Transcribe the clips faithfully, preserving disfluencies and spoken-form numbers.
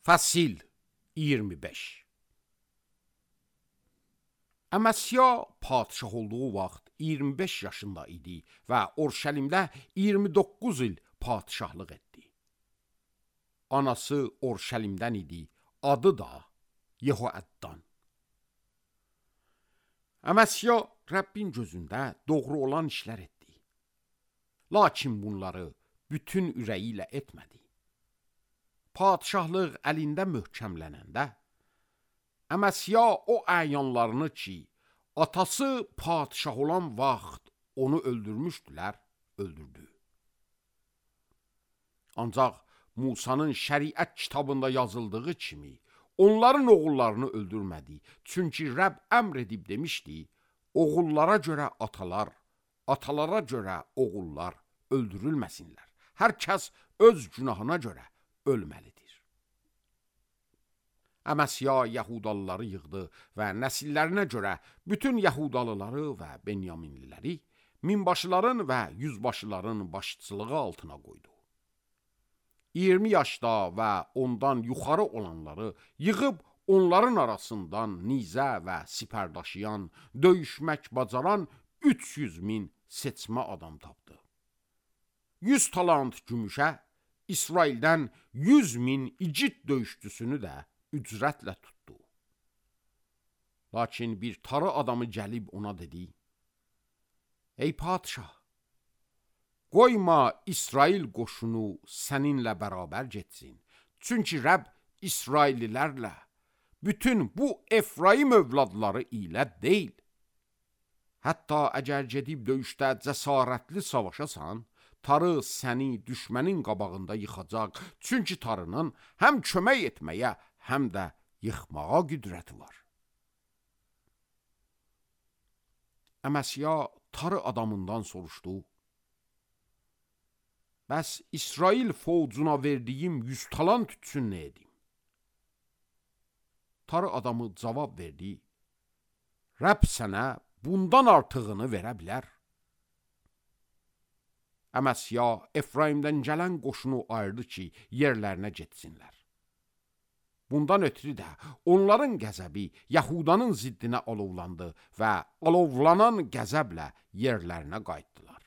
Fəsil iyirmi beş. Əməsya padişah olduğu vaxt iyirmi beş yaşında idi və Orşəlimdə iyirmi doqquz il padişahlıq etdi. Anası Orşəlimdən idi, adı da Yehoəddan. Əməsya Rəbbin gözündə doğru olan işlər etdi. Lakin bunları bütün ürəyi ilə etmədi. Padişahlıq əlində möhkəmlənəndə, Əməsya o əyanlarını ki, atası padişah olan vaxt onu öldürmüşdülər, öldürdü. Ancaq Musanın şəriət kitabında yazıldığı kimi, onların oğullarını öldürmədi. Çünki Rəbb əmr edib demişdi, oğullara görə atalar, atalara görə oğullar öldürülməsinlər. Hər kəs öz günahına görə ölməlidir. Əməsya Yahudalıları yığdı və nəsillərinə görə bütün Yahudalıları və Benyaminliləri minbaşıların və yüzbaşıların başçılığı altına qoydu. iyirmi yaşda və ondan yuxarı olanları yığıb onların arasından nizə və sipər daşıyan, döyüşmək bacaran üç yüz min seçmə adam tapdı. yüz talant gümüşə İsraildən yüz min igid döyüşçüsünü də ücrətlə tutdu. Lakin bir tarı adamı gəlib ona dedi, ey padişah, qoyma İsrail qoşunu səninlə bərabər getsin. Çünki Rəbb İsraillilərlə, bütün bu Efraim övladları ilə deyil. Hətta əgər gedib döyüşdə cəsarətli savaşasan, tarı səni düşmənin qabağında yıxacaq. Çünki tarının həm kömək etməyə, həm də yıxmağa qüdrəti var. Əməsya tarı adamından soruşdu, bəs İsrail fovcuna verdiyim yüz talant üçün nə edim? Tarı adamı cavab verdi, Rəbb sənə bundan artığını verə bilər. Əməsya Efraimdən gələn qoşunu ayırdı ki, yerlərinə getsinlər. Bundan ötürü də onların qəzəbi Yahudanın ziddinə alovlandı və alovlanan qəzəblə yerlərinə qayıtdılar.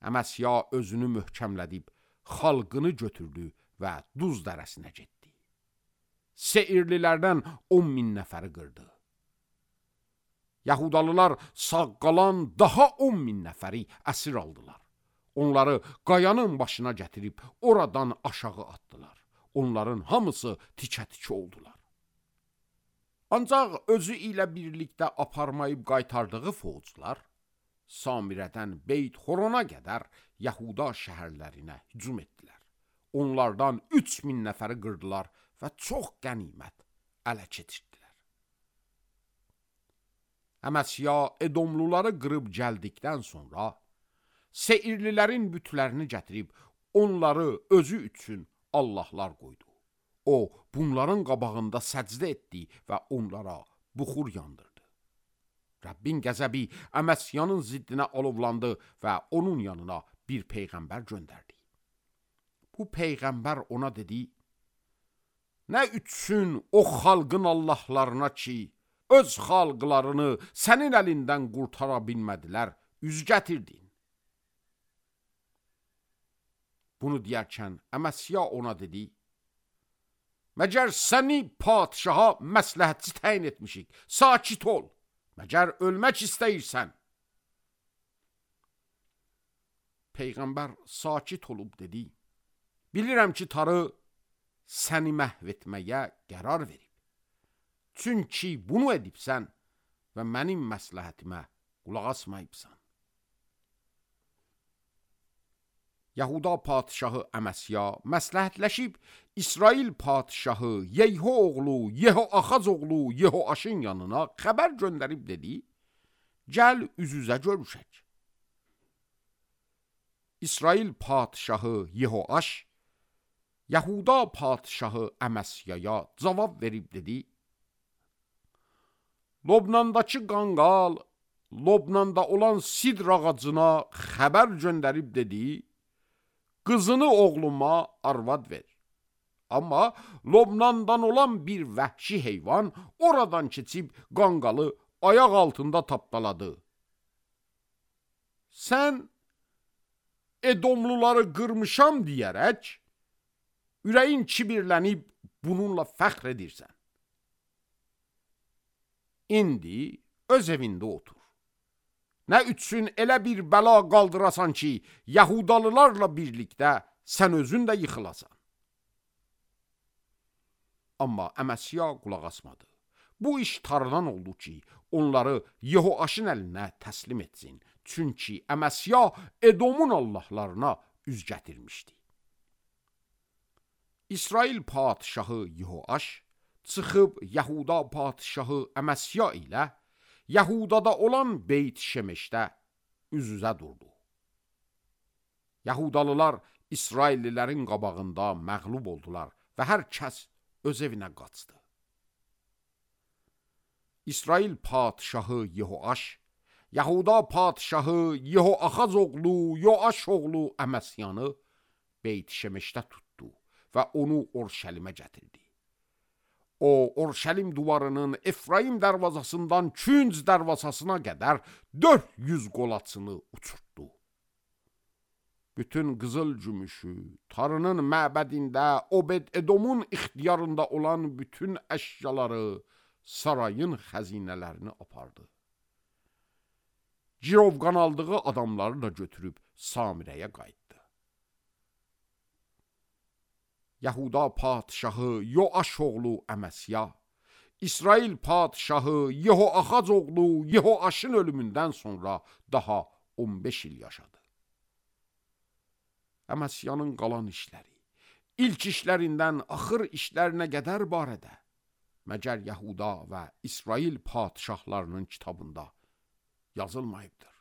Əməsya özünü möhkəmlədib, xalqını götürdü və Duz dərəsinə getdi. Seirlilərdən on min nəfəri qırdı. Yahudalılar sağ qalan daha on min nəfəri əsir aldılar. Onları qayanın başına gətirib oradan aşağı atdılar. Onların hamısı tikə-tikə oldular. Ancaq özü ilə birlikdə aparmayıb qaytardığı fovcular, Samirədən Beyt Horona qədər Yahuda şəhərlərinə hücum etdilər. Onlardan üç min nəfəri qırdılar və çox qənimət ələ keçirdilər. Əməsya Edomluları qırıb gəldikdən sonra, Seirlilərin bütlərini gətirib onları özü üçün Allahlar qoydu. O, bunların qabağında səcdə etdi və onlara buxur yandırdı. Rəbbin qəzəbi Əməsyanın ziddinə alovlandı və onun yanına bir peyğəmbər göndərdi. Bu peyğəmbər ona dedi, nə üçün o xalqın Allahlarına ki, öz xalqlarını sənin əlindən qurtara bilmədilər, üz gətirdin. Bunu deyərkən Əməsya ona dedi, məgər səni padişaha məsləhətçi təyin etmişik, sakit ol, məgər ölmək istəyirsən. Peyğəmbər sakit olub dedi, bilirəm ki, tarı səni məhv etməyə qərar verib. Çünki bunu edibsən və mənim məsləhətimə qulaq asmayıbsan. Yahuda padişahı Əməsya məsləhətləşib İsrail padişahı Yeyho oğlu, Yehoaxaz oğlu Yehoaşın yanına xəbər göndərib dedi, gəl üz-üzə görüşək. İsrail padişahı Yehoaş, Yahuda padişahı Əməsyaya cavab verib dedi, Lobnandakı qanqal, Lobnanda olan sidr ağacına xəbər göndərib dedi, qızını oğluma arvad ver. Amma Lobnandan olan bir vəhşi heyvan oradan keçib qanqalı ayaq altında tapdaladı. Sən Edomluları qırmışam deyərək, ürəyin kibirlənib bununla fəxr edirsən. İndi öz evində otur. Nə üçün elə bir bəla qaldırasan ki, Yahudalılarla birlikdə sən özün də yıxılasan. Amma Əməsya qulaq asmadı. Bu iş Tanrıdan oldu ki, onları Yehoaşın əlinə təslim etsin. Çünki Əməsya Edomun allahlarına üz gətirmişdi. İsrail padişahı Yehoaş çıxıb Yahuda padişahı Əməsya ilə Yahudada olan Beyt Şemeşdə üz-üzə durdu. Yahudalılar İsraillilərin qabağında məğlub oldular və hər kəs öz evinə qaçdı. İsrail padişahı Yehoaş, Yahuda padişahı Yehoaxaz oğlu, Yoaş oğlu Əməsyanı Beyt Şemeşdə tutdu və onu Orşəlimə gətirdi. O, Orşəlim duvarının Efraim dərvazasından Künc dərvazasına qədər dörd yüz qolaçını uçurtdu. Bütün qızıl gümüşü, Tanrının məbədində Obed-Edomun ixtiyarında olan bütün əşyaları, sarayın xəzinələrini apardı. Cirovqan aldığı adamları da götürüb Samirəyə qayıtdı. Yahuda padişahı Yoaş oğlu Əməsya, İsrail padişahı Yehoaxaz oğlu Yehoaşın ölümündən sonra daha on beş il yaşadı. Əməsyanın qalan işləri, ilk işlərindən axır işlərinə qədər barədə məgər Yahuda və İsrail padişahlarının kitabında yazılmayıbdır.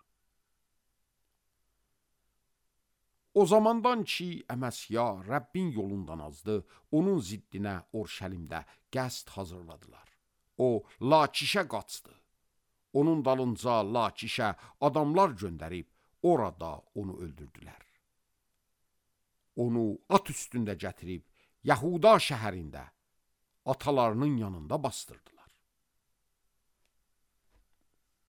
O zamandan ki, Əməsya Rəbbin yolundan azdı, onun ziddinə Orşəlimdə qəsd hazırladılar. O, Lakişə qaçdı. Onun dalınca Lakişə adamlar göndərib, orada onu öldürdülər. Onu at üstündə gətirib, Yahuda şəhərində atalarının yanında bastırdılar.